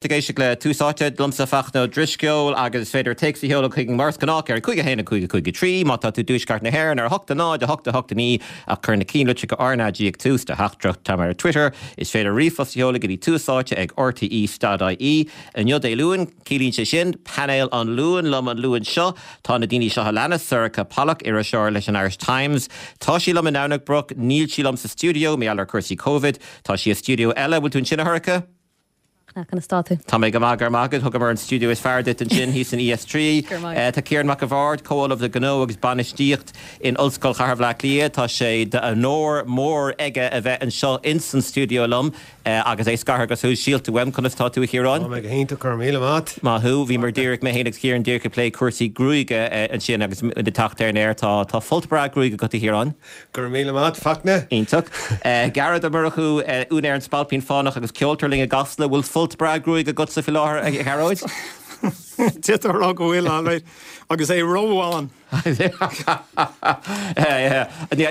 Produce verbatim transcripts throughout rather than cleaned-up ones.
Ag éisteacht le Tús Áite liomsa Fachtna Ó Drisceoil agus is féidir téacs a sheoladh chuig mar is gnách ar cúig a haon a cúig a cúig a trí má tá tú i dtuaisceart na hÉireann ar hocht a náid a hocht a hocht a naoi ach cuir na ceannlitreacha RnaG ag tús do theachtaireacht tá ar Twitter is féidir ríomhphost a sheoladh go dtí túsáite ag RTE dot IE inniu Dé Luain ciallaíonn sé sin painéal an Luain liom an Luan seo tá na daoine seo a leanas Sorcha Pollak iriseoir leis an Irish Times Tá sí liom i nDomhnach Broc níl sí liom sa studio mar gheall ar cúrsaí COVID Tá sí i studio eile bhfuil tú ansin a Shorcha? Conas tá tú. Tá mé go maith go maith thugamar an studio is fearr duit ansin thíos in ES trí. Tá Ciarán Mac a' Bhaird comh-ollamh le gnó agus bainistíocht in Ollscoil Chathair Bhaile Átha Cliath Tá sé d'onóir mór aige a bheith anseo ins an studio liom agus é scartha go sóisialta uaim conas tá tú a Chiaráin? Tá mé go hiontach go raibh míle maith. Maith thú, bhí mar díreach mé féin agus Ciarán díreach ag plé cúrsaí gruaige ansin agus ag teacht ar an aer tá tá folt breá gruaige agat a Chiaráin. Go raibh míle maith Fachtna. Iontach. Gearóid Ó Murchú úinéir an Spailpín Fánach agus ceoltóir linn i gCasla bhfuil folt breá gruaige agatsa faoi láthair a Ghearóid? D'fhéadfá a rá go bhfuil alright agus é róbhán.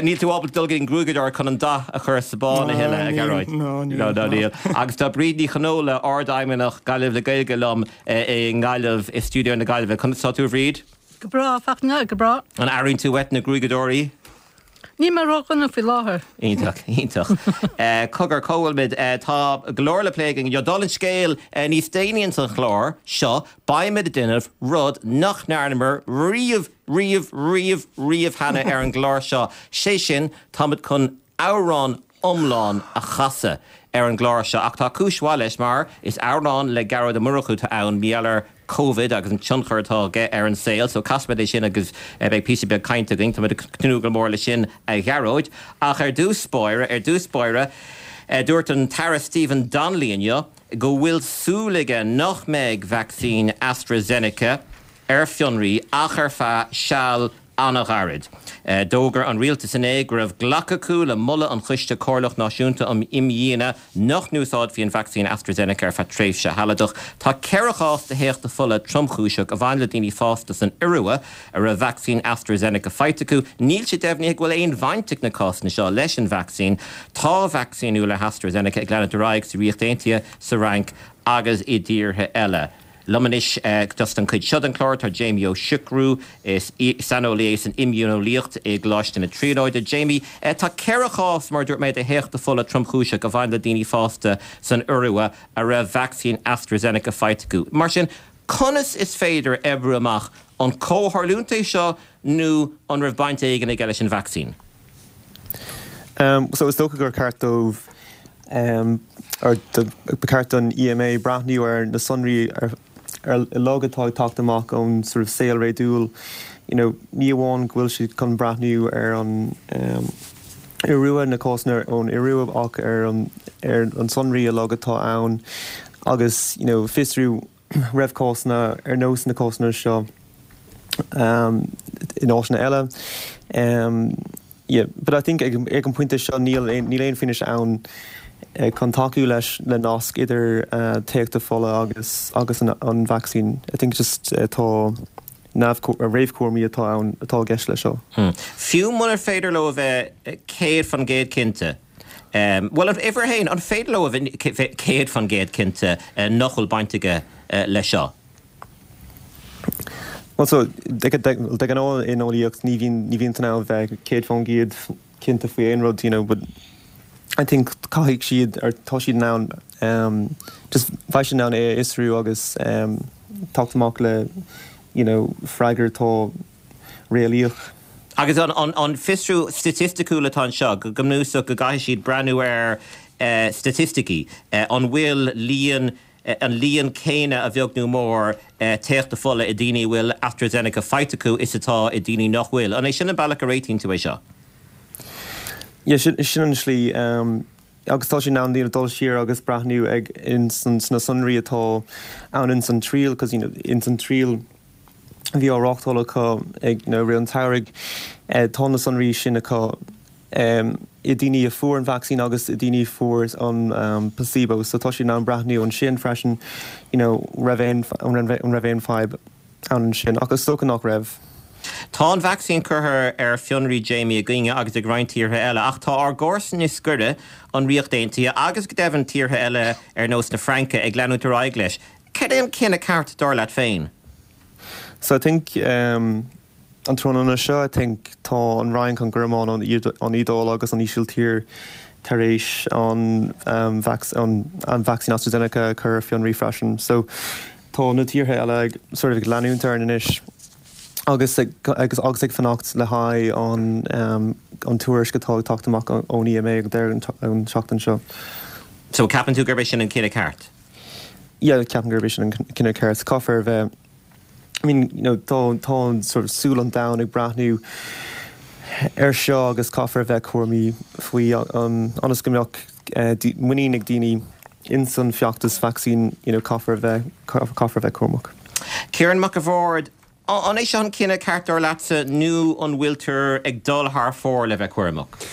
Níl tú ábalta dul go dtí an gruaigeadóir chun an dath a chur sa bán a thuilleadh a Ghearóid. No, níl. No, níl. Agus tá Bríd Ní Chonóla Ardfheidhmeannach Gaillimh le Gaeilge liom i nGaillimh i stiúideo na Gaillimhe. Conas tá tú a Bhríd? Go breá, Fachtna, go breá. An airíonn tú uait na gruaigeadóirí? Níl mé ródhona faoi láthair. Iontach, iontach. Cogar, cá bhfuil muid? Tá go leor le plé againn inniu. Dála an scéil, níos déanaí ins an chlár seo, beimid ag déanamh rud nach ndearnamar riamh, riamh, riamh, riamh cheana ar an gclár seo. Sé sin, táimid chun amhrán iomlán a chasadh ar an gclár seo. Ach tá cúis mhaith leis mar is amhrán le Gearóid Ó Murchú atá ann, mar gheall ar Covid agus an tionchar atá aige ar an saol. So casfaimid é sin agus beidh píosa beag cainte againn. Táimid ag tnúth go mór leis sin a Ghearóid. Ach ar dtús báire, ar dtús báire, dúirt an tAire Stephen Donnelly inniu go bhfuil súil aige nach mbeidh vacsaín AstraZeneca ar fionraí ach ar feadh seal an-ghairid. D'fhógair an rialtas inné go raibh glactha acu le moladh an Choiste Comhairleach Náisiúnta um Imdhíonadh nach n-úsáidfí an vacsaín AstraZeneca ar feadh tréimhse shealadach. Tá ceithre chás de théachtadh fola tromchúiseach a bhain le daoine fásta san Iorua a raibh vacsaín AstraZeneca faighte acu. Níl sé deimhnithe go bhfuil aon bhaint ag na cásanna seo leis an vacsaín. Tá vacsaíniú le hAstraZeneca ag leanúint ar aghaidh sa Ríocht Aontaithe, sa Fhrainc agus i dtíortha eile. Liom anois dos an chuid seo den chlár tá Jamie Ó Siochrú, is saineolaí é san imdhíoneolaíocht i gColáiste na Tríonóide. Jamie, tá ceithre chás mar dúirt mé de théachtadh fola tromchúiseach a bhain le daoine fásta san Iorua a raibh vacsaín AstraZeneca faighte acu. Mar sin, conas is féidir a oibriú amach an comhtharlúint é seo nó an raibh baint éigin aige leis an vacsaín? Um, so is dócha gur ceart dóibh um, or ba cheart don EMA breathnú ar na sonraí ar ar uilig atá ag teacht amach ón sort of saol réadúil you know, ní amháin go bhfuil siad chun breathnú ar an um, Iorua na cásanna ón Iorua ach ar an ar an sonraí uilig atá ann agus you know, fiosrú raibh cásanna ar nós na cásanna seo um, in áiteanna eile. Um, yeah, but I think ag, ag an pointe seo níl níl aon fianaise ann uh, chun tacú leis le nasc idir uh, téachtadh fola agus agus an, an vaccine. I think just uh, tá réamhchúraimí atá ann atá i gceist leis seo. Hmm. Fiú munar féidir leo a bheith céad faoin gcéad cinnte. Um, well uimhir a haon an féidir leo a bheith céad faoin gcéad cinnte uh, nach bhfuil baint aige uh, leis seo. Well so de ghnáth in eolaíocht ní bhíonn ní bhíonn tú bheith céad faoin gcéad cinnte faoi aon rud you know, but I think caithfidh siad ar tá siad ann um, just bheidh siad ann é a fhiosrú agus um, teacht amach le you know, freagra atá réalaíoch. Agus an, an, an fiosrú staitistiúil atá anseo go bunúsach go gcaithfidh siad breathnú ar uh, staitisticí uh, an bhfuil líon uh, an líon céanna a bheag nó mór uh, téachtadh fola i daoine bhfuil AstraZeneca faighte acu is atá i daoine nach bhfuil. An é sin an bealach a réitíonn tú é seo? Yeah, sin, sin an slí um, agus tá sé ann daoine dul siar agus breathnú ag in san, sna sonraí atá ann in san triail, cos you know, in san triail bhí á reáchtáil acu ag na rith an tsamhraidh eh, tá na sonraí sin acu um, i daoine a fuair an vaccine agus i daoine fuair an um, placebo, so tá sé ann breathnú ansin freisin you know, raibh aon an raibh aon fadhb ann sin agus is dócha nach raibh. Tá an vacsaín curtha ar fionraí Jamie againne agus ag roinnt tíortha eile, ach tá ár gcomharsain is gaire an Ríocht Aontaithe agus go deimhin tíortha eile ar nós na Fraince ag leanúint ar aghaidh leis. Cad é an cinneadh ceart dar leat féin? So I think um, an tráthnóna seo I think tá an Fhrainc an Ghearmáin an an Iodáil agus an Ísiltír tar éis an um, vac an, an vaccine AstraZeneca chur ar fionraí freisin. So tá na tíortha eile ag sort of ag leanúint anois agus ag, agus agus ag fanacht le haghaidh an um, an tuairisc atá ag teacht amach ón EMA ag deireadh an seachtain seo. So ceapann tú gurb é sin an cinneadh ceart? Yeah, ceapaim gurb é sin an cinneadh ceart caithfear bheith I mean, you know, tá tá sort of súil an domhain ag breathnú ar seo agus caithfear bheith cúramach faoi um, ionas go mbeadh uh, muinín ag daoine in san feachtas vaccine you know, caithfear bheith caithfear bheith cúramach. Ciarán Mac a' Bhaird, an é seo an cinneadh ceart dar leatsa nó an bhfuiltear ag dul thar fóir le bheith cúramach.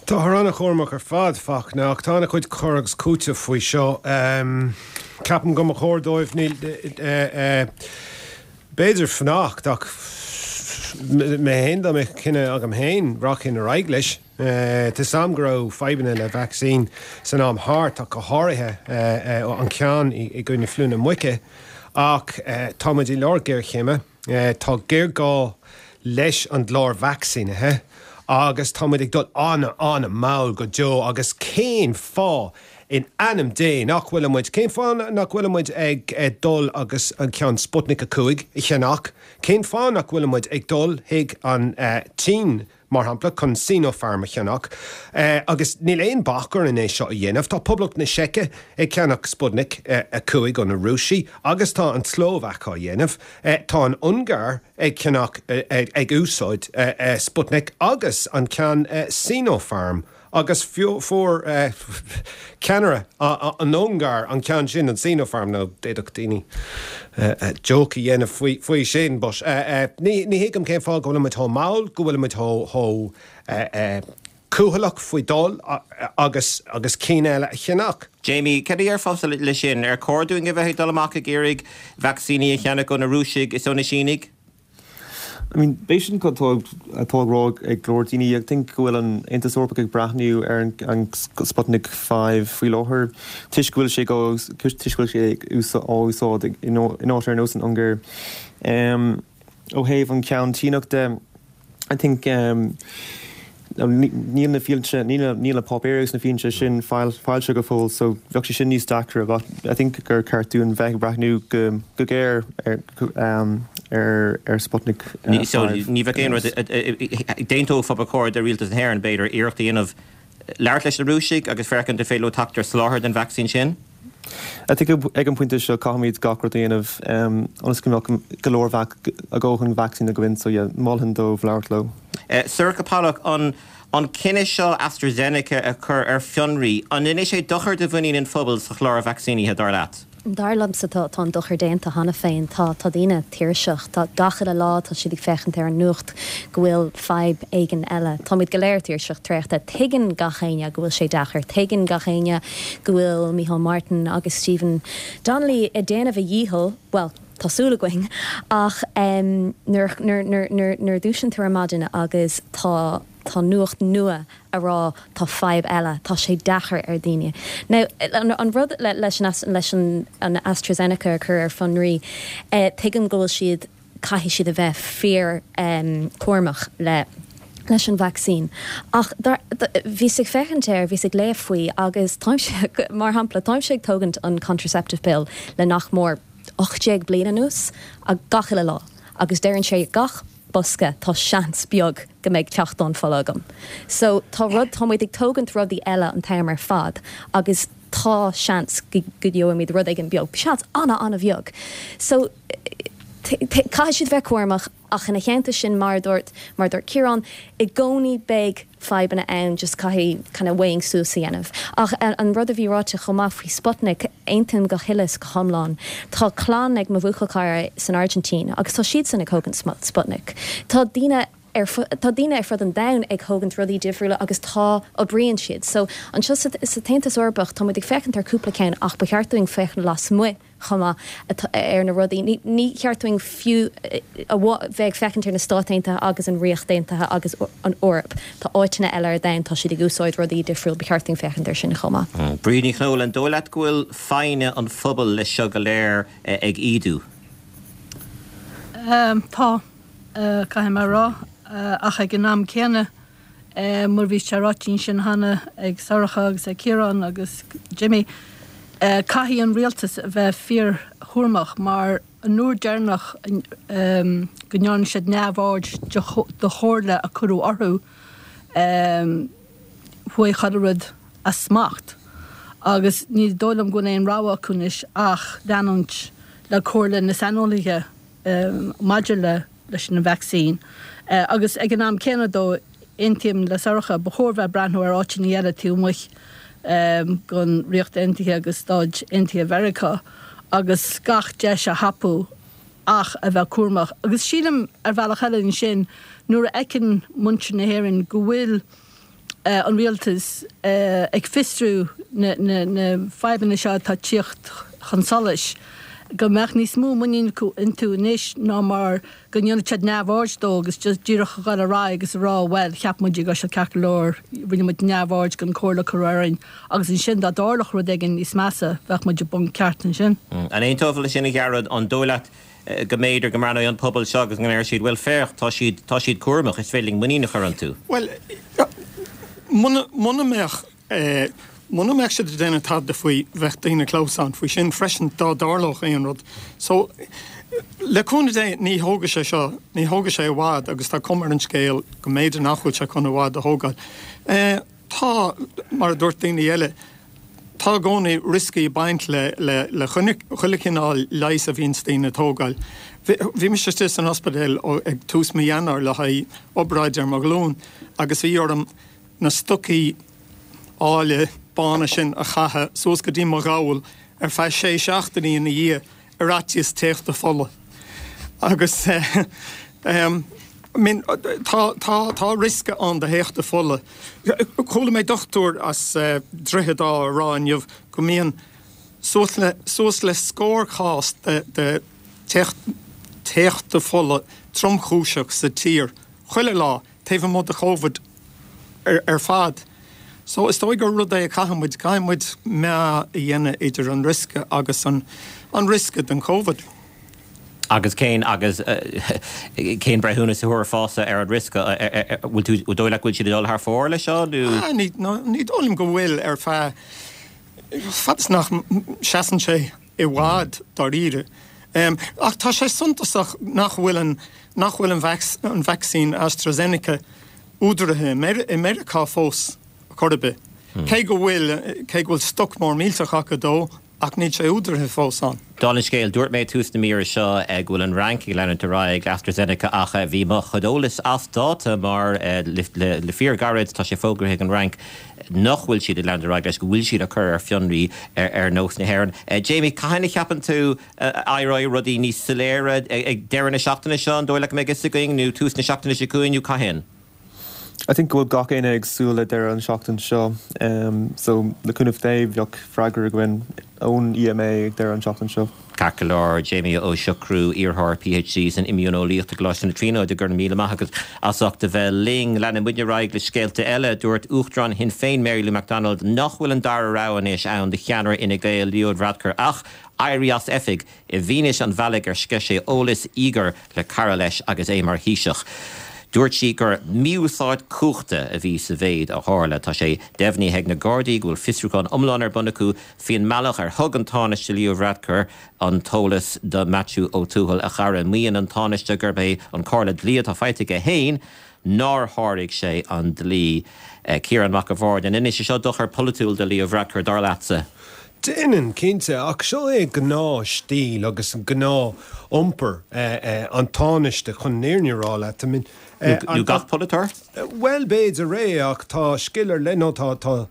Tá an-chúramach ar fad Fachtna ach tá an-chuid cur agus cúiteamh faoi seo. Um, Ceapaim go mba chóir dóibh níl b'fhéidir fanacht ach mé féin dá mbeadh cinneadh agam féin rachainn ar aghaidh leis. Tá sam go raibh fadhbanna le vaccine san am thart ach go háirithe an ceann i gcoinne fliú na muice ach táimid i lár géarchéime, Tá géarghá leis an gclár vacsaínithe agus táimid ag dul an-an-mhall go deo agus cén fáth in ainm Dé nach bhfuil cén fáth nach bhfuil ag ag dul agus an ceann Sputnik a cúig a cheannach, cén fáth nach bhfuil ag dul chuig an uh, tSín mar shampla chun Sinopharm a cheannach, uh, agus níl aon bac orainn é seo a dhéanamh, Tá Poblacht na Seice ag ceannach Sputnik uh, a cúig ó na Rúisigh, agus tá an tSlóvaic á dhéanamh, uh, tá an Ungáir ag ceannach uh, ag, ag úsáid uh, uh, Sputnik agus an ceann uh, Sinopharm. agus fuair uh, ceannaire an Ungáir an ceann sin an Sinopharm nó d'fhéadfadh daoine uh, joke a dhéanamh faoi, faoi sin, but uh, uh, ní, ní thuigim cén fáth go bhfuil chomh mall go bhfuil chomh uh, uh, cúthaileach faoi dul agus agus cinn eile a cheannach. Jamie, cad a déarfá le sin ar chóir dúinn a bheith ag dul amach ag iarraidh vacsaíní a cheannach ó na Rúisigh is ó na Sínigh? I mean, b'shin atá atá á rá ag go leor daoine ag think go bhfuil an Aontas Eorpach ag breathnú ar an Sputnik five faoi láthair toisc go bhfuil sé go toisc go bhfuil sé á úsáid in áit ar nós an Ungáir. Um, ó thaobh an ceann Síneach de I think um, níl na fianaise níl na páipéir agus na fianaise sin foilsithe go fóill, so bheadh sé sin níos deacra, but I think gur ceart dúinn bheith breathnú go go géar ar um, ar ar Sputnik. Uh, so ní bheadh aon rud d'aontófá ba chóir do rialtas na hÉireann b'fhéidir iarracht a dhéanamh labhairt leis na Rúisigh agus féachaint an féidir leo teacht ar soláthar den vacsaín sin? I think ag an pointe seo caithfimid gach rud a dhéanamh ionas go mbeadh go leor a ndóthain vacsaín againn so yeah, mholfainn dóibh labhairt leo. Uh, Sorcha Pollak an an cinneadh seo AstraZeneca a chur ar fionraí, an ndéanfaidh sé dochar do mhuinín an phobail sa chlár vacsaínithe dar leat? Dar liomsa tá tá an dochar déanta cheana féin tá tá daoine tuirseach tá gach uile lá tá siad ag féachaint ar an nuacht go bhfuil fadhb éigin eile. Táimid go léir tuirseach traochta tuigeann gach éinne go bhfuil sé deacair tuigeann gach éinne go bhfuil Micheál Martin agus Stephen Donnelly ag déanamh a ndícheall, well, tá súil againn ach um, nuair a dhúisíonn tú ar maidin agus tá tá nuacht nua a rá tá fadhb eile tá sé deacair ar daoine. Now an, an rud le, leis an, leis an, an AstraZeneca a chur ar fionraí eh, tuigim go bhfuil siad caithfidh siad a bheith fíor um, cúramach le leis an vaccine. Ach bhíos ag féachaint air bhíos ag léamh faoi agus táimse mar shampla táimse ag tógaint an contraceptive pill le nach mór ocht déag bliain anuas a gach uile lá agus deireann sé gach bosca tá seans beag go mbeidh teachtán fola agam. So tá rud táimid ag tógaint rudaí eile an t-am ar fad agus tá seans go gheobhaimid rud éigin beag, seans an- an-bheag. So caithfidh siad bheith cúramach ach ina theannta sin mar dúirt mar dúirt Ciarán i gcónaí beidh fadhbanna ann just caithfidh kind of weighing suas a dhéanamh. Ach an, an rud a bhí ráite chomh maith faoi Sputnik aontaím go huile is go hiomlán. Tá clann ag mo bhuachaill cara san Argentina agus tá siad san ag tógaint Sputnik. Tá daoine ar tá daoine ar fud an domhain ag tógaint rudaí difriúla agus tá oibríonn siad. So anseo sa tAontas Eorpach tá muid ag féachaint ar cúpla ceann ach ba cheart dúinn féachaint lasmuigh chomh maith ar na rudaí. Ní, ní cheart dúinn fiú a bheith ag féachaint ar na Stáit Aontaithe agus an Ríocht Aontaithe agus an Eoraip. Tá áiteanna eile ar domhan, tá siad ag úsáid rudaí difriúil, ba cheart dúinn féachaint air sin chomh maith. Mm. Bríd Ní Chonaill, an dóigh leat go bhfuil foighne an phobail leis seo go léir ag ídiú? Um, tá uh, caithfidh mé a rá uh, ach ag an am céanna uh, mar bhí sé ráite ansin cheana ag Sorcha agus ag Ciarán agus Jimmy. Uh, caithfidh an rialtas a bheith fíorchúramach mar an uair deireanach um, go ndearna siad neamhaird de chomhairle a cuireadh orthu um, chuaigh chuile rud as smacht. Agus ní dóigh liom go bhfuil aon rogha acu anois ach leanúint le comhairle na saineolaithe um, maidir le leis an vaccine. Uh, agus ag an am céanna dó aontaím le Sorcha ba chóir bheith breathnú ar áiteanna eile taobh amuigh um, den Ríocht Aontaithe agus Stáit Aontaithe Mheiriceá agus gach deis a thapú ach a bheith cúramach. Agus sílim ar bhealach eile ansin nuair a fheiceann muintir na hÉireann go bhfuil uh, an rialtas uh, ag fiosrú na, na, na fadhbanna seo atá ag tíocht chun solais. go mbeadh níos mó muinín acu iontu anois ná mar go ndéanfadh siad neamhaird dó agus just díreach a dhul ar aghaidh agus a rá well cheap muid go raibh sé ceart go leor rinne muid neamhaird den chomhairle a cuireadh orainn agus ansin dá dtarlódh rud éigin níos measa bheadh muid i bponc ceart ansin. Mm. An aontófá leis sin a Ghearóid an dóigh leat eh, go mb'fhéidir go mbreathnóidh an pobal seo agus go ndéarfaidh siad well féach tá siad tá siad cúramach is féidir linn muinín a chur iontu. Well muna muna mbeadh eh, Muna mbeadh siad ag déanamh tada faoi bheadh daoine clamhsán faoi sin freisin dá dtarlódh aon rud. So le cúnamh Dé ní thógfaidh sé seo, ní thógfaidh sé i bhfad agus tá cuma ar an scéal go mb'fhéidir nach bhfuil sé chun i bhfad a thógáil. Eh, tá, mar a dúirt daoine eile, tá i gcónaí rioscaí ag baint le le le chuile chineál leighis a bhíonns daoine ag tógáil. Bhí mise istigh san ospidéal ag tús mí Eanáir le haghaidh obráid ar mo ghlúin agus bhí orm na stocaí áille bána sin a chaitheamh suas go dtí mo ghabhal ar feadh sé seachtainí ina dhiaidh ar fhaitíos téachtadh fola. Agus I mean tá tá tá riosca ann do théachtadh fola. Chuala mé dochtúir as Droichead Átha a rá inniu go mbíonn suas le suas le scór cás de de téachtadh fola tromchúiseach sa tír chuile lá taobh amuigh de Covid. ar fad. So is dóigh gur rud é a chaithfidh muid, caithfidh muid meá a dhéanamh idir an riosca agus an an riosca den Covid. Agus cén agus cén breithiúnas a thabharfása ar an riosca? Bhfuil tú, an dóigh leat go bhfuil siad ag dul thar fóir leis seo nó? Ah, ní, ní dóigh liom go bhfuil ar feadh, fad is nach seasann sé i bhfad dáiríre. Ach tá sé suntasach nach bhfuil an, nach bhfuil an vacsaín AstraZeneca údaraithe i Meiriceá fós chor ar bith. Cé go bhfuil, cé go bhfuil stoc mór millteach acu dó, ach níl sé údaraithe fós ann. Dála an scéil, dúirt mé ag tús na míre seo go bhfuil an Fhrainc ag leanúint ar aghaidh le AstraZeneca ach bhí mo chuid eolais as dáta mar le fíorghairid tá sé fógraithe ag an Fhrainc nach bhfuil siad ag leanúint ar aghaidh leis, go bhfuil siad á cur ar fionraí ar nós na hÉireann. Jamie, cathain a cheapann tú a éireoidh rudaí níos soiléire? Ag deireadh na seachtaine seo, an dóigh leat go mbeidh fhios againn, nó tús na seachtaine seo chugainn, nó cathain? I think go bhfuil gach éinne ag súil le deireadh an seachtain seo so le cúnamh Dé bheadh freagra againn ón EMA ag deireadh an seachtain seo. Ceart go leor, Jamie Ó Siochrú, iarrthóir PhD san Imdhíoneolaíocht i gColáiste na Tríonóide, go raibh míle maith agat as ucht a bheith linn. Leanfaidh muidne ar aghaidh le scéalta eile. Dúirt Uachtarán Shinn Féin Mary Lou McDonald nach bhfuil an dara rogha anois ann do cheannaire Fhine Gael, Leo Varadkar ach éirí as oifig i bhfianaise an bhealaigh ar sceith sé eolas íogair le cara leis agus é mar Thaoiseach. Dúirt sí gur mí-úsáid cumhachta a bhí sa mhéid a tharla. Tá sé deimhnithe ag na Gardaí go bhfuil fiosrúchán iomlán ar bun acu faoin mbealach ar thug an Tánaiste Leo Varadkar an t-eolas do Maitiú Ó Tuathail, a chara. Maíonn an Tánaiste gurb é an chomhairle dlí atá faighte aige féin nár sháraigh sé an dlí. Ciarán Mac a' Bhaird, An ndéanann sé seo dochar polaitiúil do Leo Varadkar, dar leatsa? Déanann, cinnte, ach seo é gnáth-stíl agus gnáth-iompar an Tánaiste, chun an fhírinne a rá leat. I mean, Nó gach polaiteoir? Bhuel, b'fhéidir é, ach tá scil ar leith, nó tá, tá,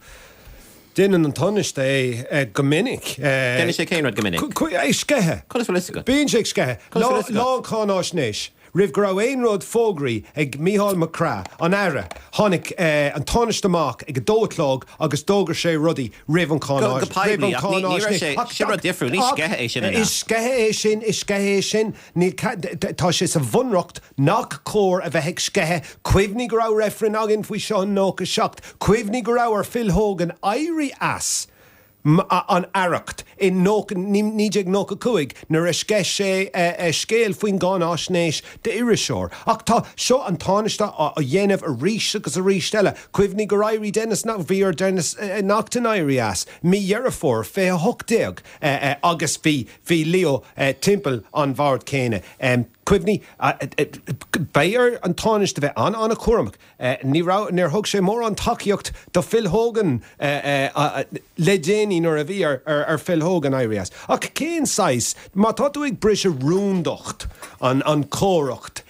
déanann an Tánaiste é go minic. Déanann sé cén rud go minic? Ag sceitheadh. Conas bhfuil fhios agat? Bíonn sé ag sceitheadh. Conas bhfuil fhios agat? Lá an cháináisnéis. Roimh go raibh aon rud fógraithe ag Mícheál McGrath, an Aire, tháinig an Tánaiste amach ag a dó a chlog agus d'fhógair sé rudaí roimh an Go poiblí, ach ní raibh sé, sin rud difriúil, ní sceitheadh é sin, an ea? Is sceitheadh é sin, is sceitheadh é sin. Níl, tá sé sa bhunreacht nach cóir a bheith ag sceitheadh. Cuimhnigh go raibh reifreann againn faoi seo in nócha seacht. Cuimhnigh go raibh ar Phil Hogan éirí as. an aireacht i naoi déag nócha cúig nuair a sceith sé scéal faoin gcáináisnéis d'iriseoir. Ach tá seo an Tánaiste á dhéanamh arís agus arís eile. Cuimhnigh gur éirigh Denis, bhí ar Denis Naughten éirí as mí Dheireadh Fómhair fiche a hocht déag agus bhí bhí Leo timpeall an bhoird céanna. Cuimhnigh, beidh ar an Tánaiste bheith an-an-chúramach. Ní raibh, níor thug sé mórán tacaíocht do Phil Hogan le déanaí nuair a bhí ar Phil Hogan éirí as. Ach cén saghas, má tá tú ag briseadh rúndacht an an chomhaireacht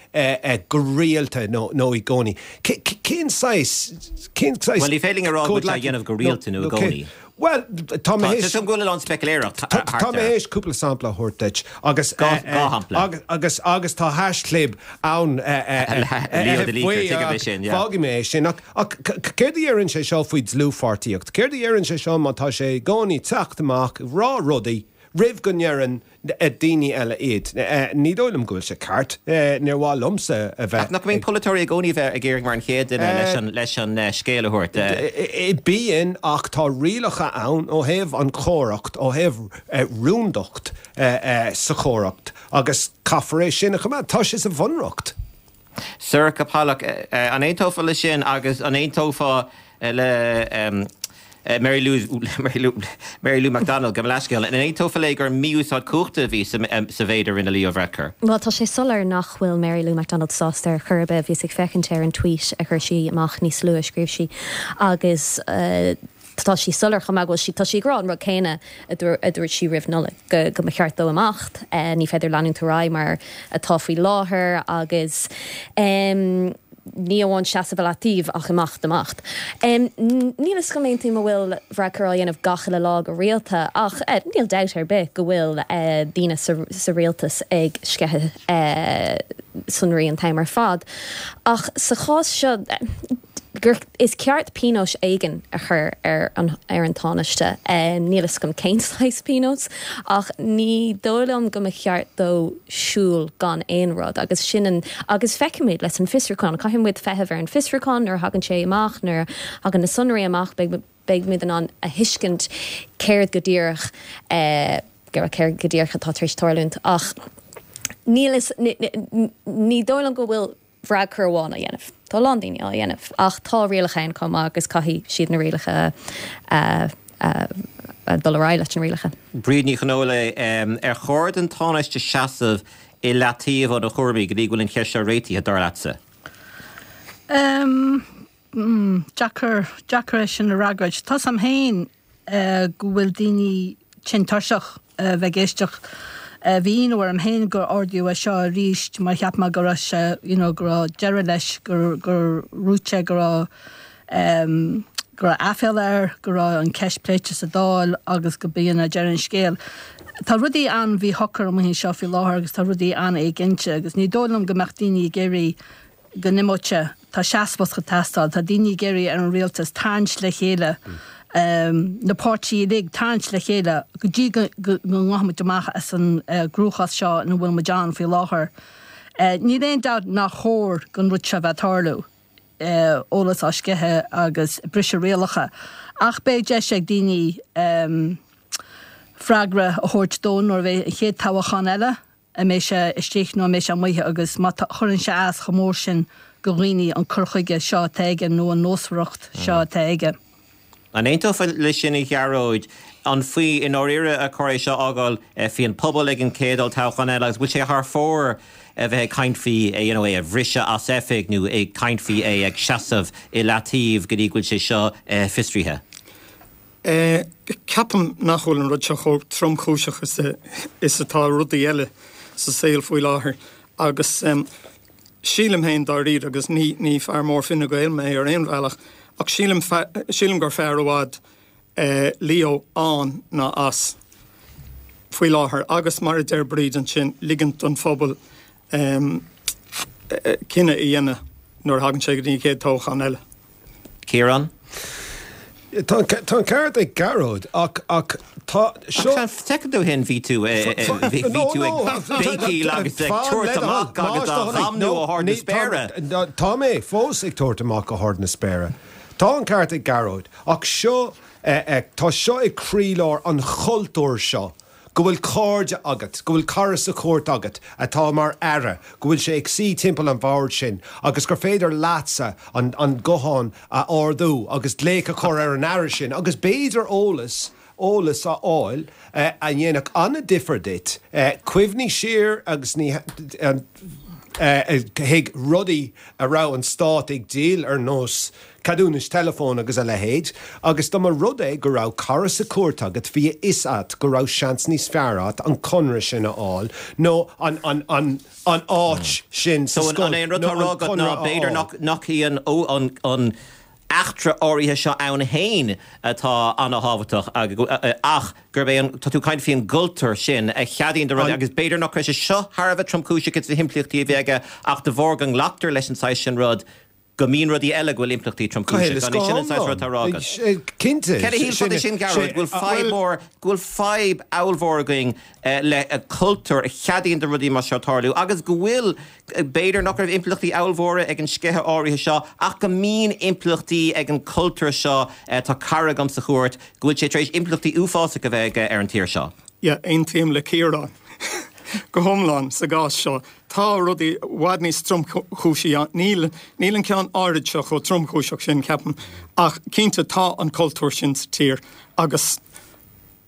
go rialta nó nó i gcónaí, cén saghas, cén saghas Bhuel, ní féidir linn a rá go bhfuil sé á dhéanamh go rialta nó i gcónaí. Bhuel, tá mé théis. Tá go bhfuil a lán speicealéireacht thart air. Tá mé théis cúpla sampla a thabhairt duit agus. Dhá shampla. Agus agus tá haischlib ann faoi fágfaidh mé é sin. Ach céard a deireann sé seo faoi dlúthpháirtíocht? Céard a deireann sé seo má tá sé i gcónaí teacht amach ag rá rudaí roimh go ndeireann daoine eile iad. Ní dóigh liom go bhfuil sé ceart. Níor mhaith liomsa a bheith. Ach nach mbíonn polaiteoirí i gcónaí bheith ag iarraidh mar an chéad duine leis an leis an scéal a thabhairt? Bíonn, ach tá rialacha ann ó thaobh an chomhaireacht, ó thaobh rúndacht sa chomhaireacht agus caithfear é sin a choimeád. Tá sé sa bhunreacht. Sorcha Pollak, an aontófá leis sin agus an aontófá le Mary Lou, Mary Lou, Mary Lou McDonald, gabh mo leithscéal, an aontófá léi gur mí-úsáid cumhachta a bhí sa mhéid a rinne Leo Varadkar? Bhuel, tá sé soiléir nach bhfuil Mary Lou McDonald sásta ar chor ar bith. Bhíos ag féachaint ar an tweet a chuir sí amach níos luaithe, scríobh sí, agus tá sí soiléir chomh maith go bhfuil sí, tá sí ag rá an rud céanna a dúirt sí roimh Nollaig, go go mba cheart dó imeacht, ní féidir leanúint ar aghaidh mar atá faoi láthair agus ní amháin seasamh i leataobh ach imeacht, imeacht. Níl fhios agam aontaím an bhfuil Varadkar á dhéanamh gach uile lá go rialta ach níl dabht ar bith go bhfuil daoine sa rialtas ag sceitheadh sonraí an t-am ar fad. Ach sa chás seo, gur is ceart pionós éigin a chur ar an ar an Tánaiste. Níl fhios agam cén saghas pionós, ach ní dóigh liom go mba cheart dó siúl gan aon rud agus sin an agus feicfimid leis an fiosrúchán. Caithfidh muid feitheamh ar an fiosrúchán nuair a thagann sé amach, nuair a thagann na sonraí amach beidh beidh muid in ann a thuiscint céard go díreach céard go díreach atá tar éis tarlúint ach níl fhios ní dóigh liom go bhfuil Varadkar amháin á dhéanamh. Tá a lán daoine á dhéanamh ach tá rialacha ann chomh maith agus caithfidh siad na rialacha a dul ar aghaidh leis na rialacha. Bríd Ní Chonghóile, Ar chóir don Tánaiste seasamh i leataobh óna chúraimí go dtí go bhfuil an cheist seo réitithe, dar leatsa? Deacair, deacair é sin a fhreagairt. Tá 's a'm féin go bhfuil daoine tinn tuirseach a bheith ag éisteacht. Bhí ionadh orm féin gur ardaíodh é seo arís mar cheap mé go raibh sé, you know, go raibh deireadh leis, gur, gur dhúirt sé go raibh, em, go raibh aiféala air, go raibh an ceist pléite sa Dáil agus go b'in é deireadh an scéil. Tá rudaí an-mhíshocair amuigh anseo faoi láthair agus tá rudaí an-éiginnte agus ní dóigh liom go mbeadh daoine ag iarraidh go n-imeodh sé. Tá seasmhacht ag teastáil. Tá daoine ag iarraidh ar an rialtas tarraingt le chéile, na páirtithe uilig tarraingt le chéile go dtí go ngabhfaidh muid amach as an gcruachás seo ina bhfuil muid ann faoi láthair. Níl aon dabht nár chóir don rud seo bheith ag tarlú, eolas á sceitheadh agus briseadh rialacha, ach beidh deis ag daoine freagra a thabhairt dó nuair a bheidh an chéad toghchán eile. an mbeidh sé istigh nó an mbeidh sé amuigh agus má chuireann sé as chomh mór sin do dhaoine an cur chuige seo atá aige nó an nósmhaireacht seo atá aige. An aontófá leis sin a Ghearóid? An faoi i ndáiríre ar chóir é seo a fhágáil faoi an pobal ag an chéad olltoghchán eile agus bhfuil sé thar fóir a bheith ag caint faoi you know é a bhriseadh as oifig nó ag caint faoi é ag seasamh i leataobh go dtí go bhfuil sé seo fiosraithe? Ceapaim nach bhfuil an rud seo chomh tromchúiseach is atá rudaí eile sa saol faoi láthair agus sílim féin dáiríre, agus ní ní fear mór Fine Gael mé ar aon bhealach, ach sílim sílim gur fearr i bhfad Leo ann ná as faoi láthair agus mar a deir Bríd ansin, ligint don phobal cinneadh a dhéanamh nuair a thagann sé go dtí an chéad toghchán eile. Ciarán? Tá an ceart ag Gearóid ach ach tá seo. Soicind ó shin bhí tú bhí tú ag béicíl agus ag tabhairt amach agus á dhamnú ó hard na spéire. Tá mé fós ag tabhairt amach go hard na spéire. Tá an ceart ag Gearóid ach seo tá seo ag croílár an chultúir seo go bhfuil cairde agat, go bhfuil cara sa chúirt agat atá mar aire, go bhfuil sé ag suí timpeall an bhoird sin agus gur féidir leatsa an an guthán a ardú agus glaoch a chur ar an aire sin agus b'fhéidir eolas eolas a fháil a dhéanfadh an-difear duit. Cuimhnigh siar agus ní chuig rudaí a raibh an stát ag díol ar nós ceadúnais teileafóin agus a leithéid, agus dá mba rud é go raibh cara sa chúirt agat bhí a fhios agat go raibh seans níos fearr agat an conradh sin a fháil nó an an an an áit sin sa So an scoil an é an rud nó atá á rá an agat ná conradh a b'fhéidir fháil. nach nach í an ó an an eachtra áirithe seo ann féin atá an-thábhachtach ach gurb é an tá tú ag caint faoin gcultúr sin a cheadaíonn do rudaí agus b'fhéidir nach raibh sé seo thar a bheith tromchúiseach ins na himpleachtaí a bhí aige ach de bharr go nglactar leis an saghas sin rud go mbíonn rudaí eile go bhfuil impleachtaí tromchúiseach. An é sin an saghas rud atá á rá agat? Cinnte. Céard a shílfeá de sin, Gearóid, go bhfuil fadhb mhór, go bhfuil fadhb ollmhór againn le cultúr a cheadaíonn do rudaí mar seo tarlú agus go bhfuil, b'fhéidir nach raibh impleachtaí ollmhóra ag an sceitheadh áirithe seo ach go mbíonn impleachtaí ag an cultúr seo, tá cara agam sa chúirt, go bhfuil sé tar éis impleachtaí uafásacha a bheith aige ar an tír seo. Yeah, aontaím le Ciarán go hiomlán sa gcás seo. Tá rudaí i bhfad níos tromchúisí ann. Níl, níl an ceann áirid seo chomh tromchúiseach sin, ceapaim, ach cinnte tá an cultúr sin sa tír agus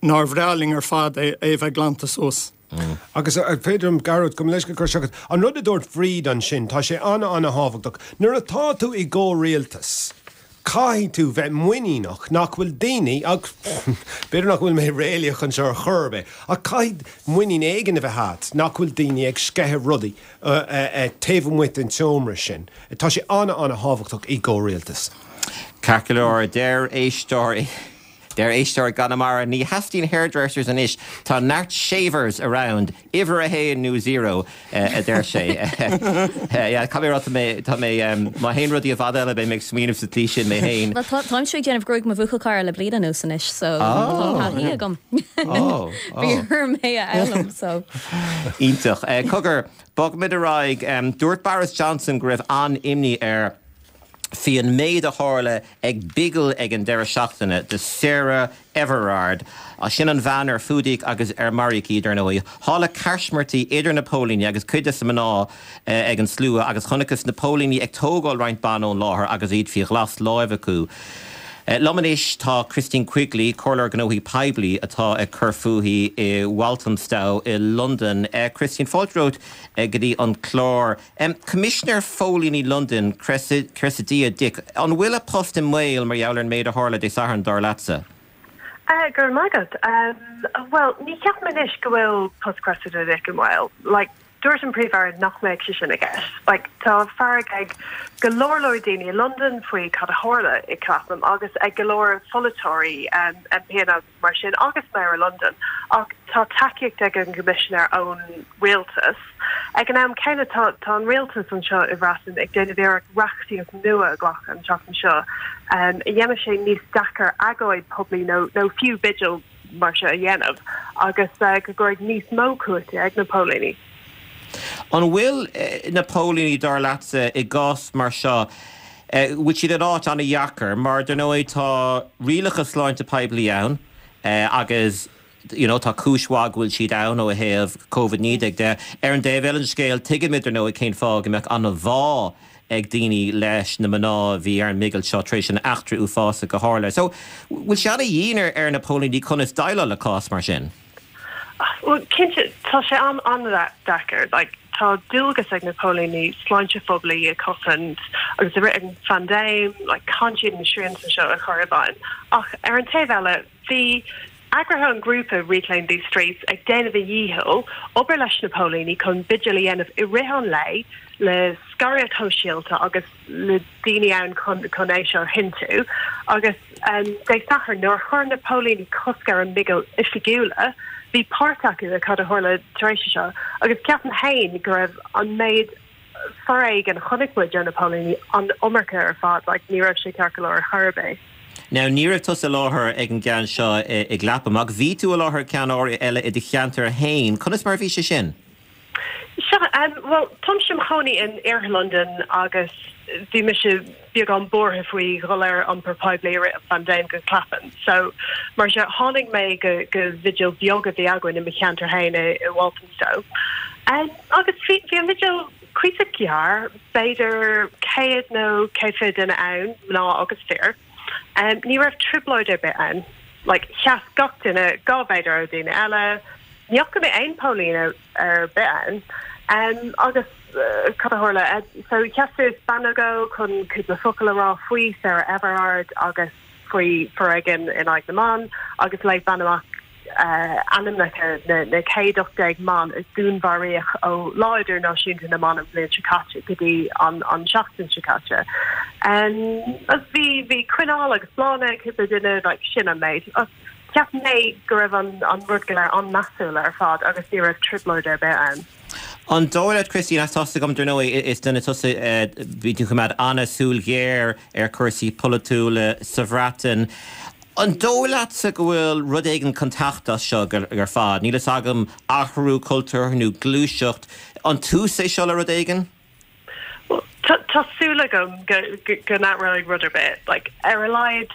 nár bhreá linn ar fad é a bheith glanta suas. Agus an féidir liom, Gearóid, gabh mo leithscéal cur isteach agat, an rud a dúirt Bríd ansin, tá sé an-an-thábhachtach. Nuair atá tú i gcomhrialtas, caithfidh tú bheith muiníneach nach bhfuil daoine, ach b'fhéidir nach bhfuil mé réalaíoch anseo ar chor ar bith, ach caithfidh muinín éigin a bheith agat nach bhfuil daoine ag sceitheadh rudaí taobh amuigh den tseomra sin. Tá sé an-an-thábhachtach i gcomhrialtas. Ceart go leor, deir éisteoir. Deir éisteoir i gConamara, Ní theastaíonn hairdressers anois, tá neart shavers around, uimhir a haon nó zero, a deir sé. Yeah, caithfidh mé a rá, tá mé, tá mé, má théann rudaí i bhfad eile beidh mé ag smaoineamh sa tslí sin mé féin. Bhuel, tá, táimse ag déanamh gruaig mo bhuachaill cara le bliain anuas anois, so tá taithí agam. Bhí orm é a fhoghlaim, so. Iontach. Cogar, bogfaimid ar aghaidh. Dúirt Boris Johnson go raibh an-imní air faoi an méid a tharla ag bigil ag an deireadh seachtaine do Sarah Everard. Sin an bhean ar fuadaíodh agus ar maraíodh í, dar ndóigh. Tharla caismirtí idir na póilíní agus cuid de na mná ag an slua agus chonacthas na póilíní ag tógáil roinnt ban ón láthair agus iad faoi ghlas láimhe acu. Liom anois tá Christine Quigley, Comhairleoir Gnóthaí Poiblí atá ag cur fúithi i Walthamstow i Londain. Christine, fáilte romhat go dtí an clár. Coimisinéir Phóilíní Londain, Cressida Dick, an bhfuil a post i mbaol mar gheall ar an méid a tharla Dé Sathairn, dar leatsa? Go raibh maith agat. Bhuel, ní cheapaim anois go bhfuil post Cressida Dick i mbaol. Like, dúirt an Príomh-Aire nach mbeadh sé sin i gceist. Like, tá fearg ag go leor leor daoine i Londain faoi cad a tharla i Clapham agus ag go leor pholaiteoirí, um, MPanna agus mar sin agus Mayor London ach tá tacaíocht ag an gCoimisinéir ón rialtas. Ag an am céanna tá tá an rialtas anseo i Bhreatain ag déanamh iarracht reachtaíocht nua a ghlacadh an tseachtain seo um, a dhéanfaidh sé níos deacair agóid poiblí nó nó fiú bigil mar seo a dhéanamh agus uh, go gcuirfidh níos mó cumhachtaí ag na póilíní. An bhfuil na póilíní dar leatsa i gcás mar seo, bhfuil siad in áit an-dheacair mar dar ndóigh tá rialacha sláinte poiblí ann agus you know tá cúis mhaith go bhfuil siad ann ó thaobh Covid naoi déag de. Ar an dtaobh eile den scéal tuigimid dar ndóigh cén fáth go mbeadh an-bhá ag daoine leis na mná a bhí ar an mbigil seo tar éis an eachtra uafásach a tharla. So bhfuil sé an-dhian ar ar na póilíní conas déileáil le cás mar sin? Well, cinnte tá sé an an-deacair like, tá dualgas ag na póilíní sláinte phoiblí a chosaint agus i rith an phaindéim like, caithfidh siad na srianta seo a chur i bhfeidhm. Ach ar an taobh eile bhí eagraithe an grúpa Reclaim These Streets ag déanamh a dhícheall obair leis na póilíní chun bigil a dhéanamh i rith an lae le scaradh sóisialta agus le daoine ann chun chun é seo a chinntiú agus um, Dé Sathairn nuair a chuir na póilíní cosc ar an mbigil oifigiúla bhí páirt acu i cad a tharla tar éis seo agus ceapaim féin go raibh an méid foréigean chonaic muid ó na póilíní an iomarca ar fad, like, ní raibh sé ceart go leor ar chor ar bith. Now ní raibh tusa i láthair ag an gceann seo i gClapham, ach bhí tú i láthair ceann eile i do cheantar féin. Conas mar bhí sé sin? Seo, um, well, táimse im chónaí in Iarthar Londain agus bhí mise beagán buartha faoi dhul ar iompar poiblí i rith an phaindéim go Clapham. So mar sin tháinig mé go go vigil beag a bhí againn i mo cheantar féin i, i Walthamstow. Um, agus bhí bhí an vigil cuíosach gearr, b'fhéidir céad nó céad fiche duine ann, mná agus fir. Um, ní raibh trioblóid ar bith ann. Like, sheas gach duine dhá mhéadar ó daoine eile, ní fhaca mé aon póilín ar bith ann. Um, agus uh, cad a tharla uh, so sheas suas bean nó dhó chun cúpla focal a rá faoi Sarah Everard agus faoi foréigean in aghaidh na mban agus léigh bean amach uh, ainmneacha na, na céad ocht déag mban a dúnmharaíodh ó Lá Idirnáisiúnta na mBan an bhliain seo caite go dtí an, an seachtain seo caite. Um, agus bhí bhí coinneal agus bláthanna cúpla duine like, sin an méid. Cheap mé go raibh an, an rud go léir an-mheasúil ar fad agus ní raibh trioblóid ar bith ann. An dóigh leat Christine as tosa gom dar ndóigh is duine tusa bhí tú coimeád an-súil ghéar ar chúrsaí polaitiúla sa Bhreatain. An dóigh leatsa go bhfuil rud éigin chun teacht as seo ar fad, Níl fhios agam athrú cultúr nó gluaiseacht, an tús é seo le rud éigin? Tá súil agam go n-athróidh rud ar bith, like, ar a laghad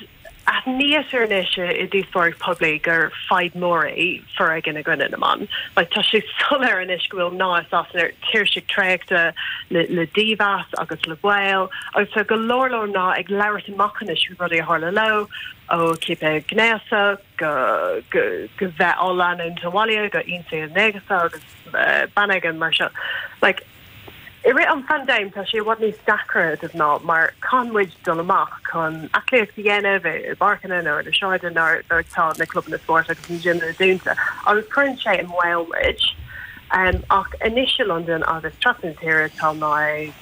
aithnítear anois i díospóireacht poiblí gur fadhb mór é foréigean i gcoinne na mban. Like, tá sé soiléir anois go bhfuil mná i Sasana tuirseach traochta le, le dímheas agus le baol, agus tá go leor leor mná ag labhairt amach anois faoi rudaí a tharla leo ó ciapadh gnéasach go go go bheith á leanúint abhaile go ionsaí gnéasach agus uh, banéigean mar seo. Like, I rith an phaindéim tá sé i bhfad níos deacra do mhná mar caithfidh muid dul amach chun aclaíocht a dhéanamh i bpáirceanna nó ar na sráideanna nuair tá na clubanna spóirt agus na gymanna dúnta. agus cuireann sé i mbaol muid. Um, ach anois i London agus trasna na tíre tá mná ag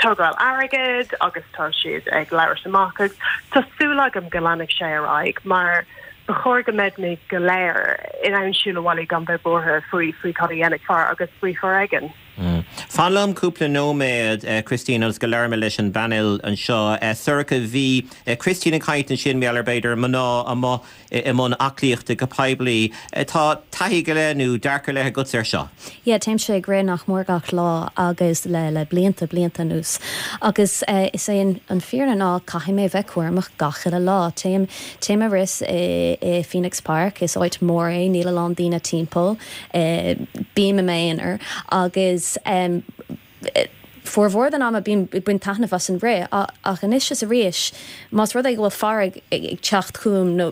tógáil airgead agus tá siad ag labhairt amach agus tá súil agam go leanfaidh sé ar aghaidh mar ba chóir go mbeimid go léir in ann siúl abhaile gan bheith buartha faoi faoi cad a dhéanfaidh fear agus faoi foréigean. Mm. Fan liom cúpla nóiméad uh, Christine agus go labhróidh mé leis an bpainéal anseo. Uh, Sorcha bhí uh, Christine ag caint ansin mar b'fhéidir mná amuigh i mbun aclaíochta go poiblí. Uh, tá taithí go leith nó dearcadh le agat ar seo. Yeah, téimse ag rith nach mór gach lá agus le le blianta blianta anuas. Agus uh, is é an, an fírinne ná caithfidh mé bheith cúramach gach uile lá. Téim téim ag rith i, i Phoenix Park is áit mór é níl a lán daoine timpeall uh, bím i m'aonar agus um, formhór den ama bím ag baint taitneamh as an rith ach anois is arís más rud é go bhfuil fear ag teacht chugam nó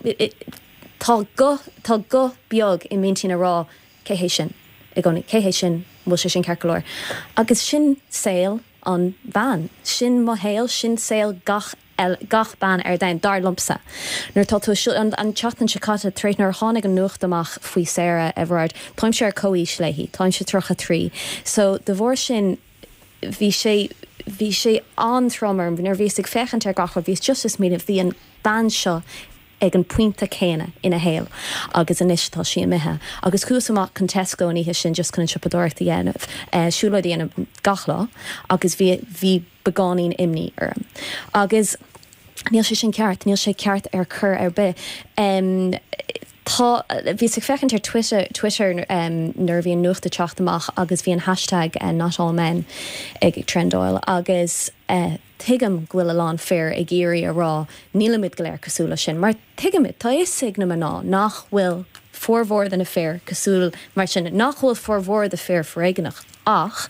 tá guth tá guth beag i m'intinn ag rá cé hé sin i gcónaí cé hé sin bhfuil sé sin ceart go leor. Agus sin saol an bhean, sin mo shaol sin saol gach gach bean ar domhan dar liomsa. Nuair tá tú an, an tseachtain seo caite tar éis nuair tháinig an nuacht amach faoi Sarah Everard, Táimse ar comhaois léi, Táimse tríocha trí. So de bharr sin bhí sé bhí sé an-trom orm nuair bhíos ag féachaint ar gach bhí just is mí bhí an bean seo ag an pointe céanna ina shaol agus anois tá sí imithe. Agus chuas amach chun Tesco an oíche sin just chun an siopadóireacht a dhéanamh uh, siúlóid a dhéanamh gach lá agus bhí bhí beagáinín imní orm. Agus níl sé sin ceart, níl sé ceart ar chor ar bith. Um, Tá bhíos ag féachaint ar Twitter Twitter um, nuair bhí an nuacht ag teacht amach agus bhí an hashtag uh, not all men ag trendáil agus uh, tuigim go bhfuil a lán fear ag iarraidh a rá nílimid go léir cosúil leis sin, mar tuigimid tá fhios ag na mná nach bhfuil formhór de na fir cosúil mar sin nach bhfuil formhór de fir foréigeanach ach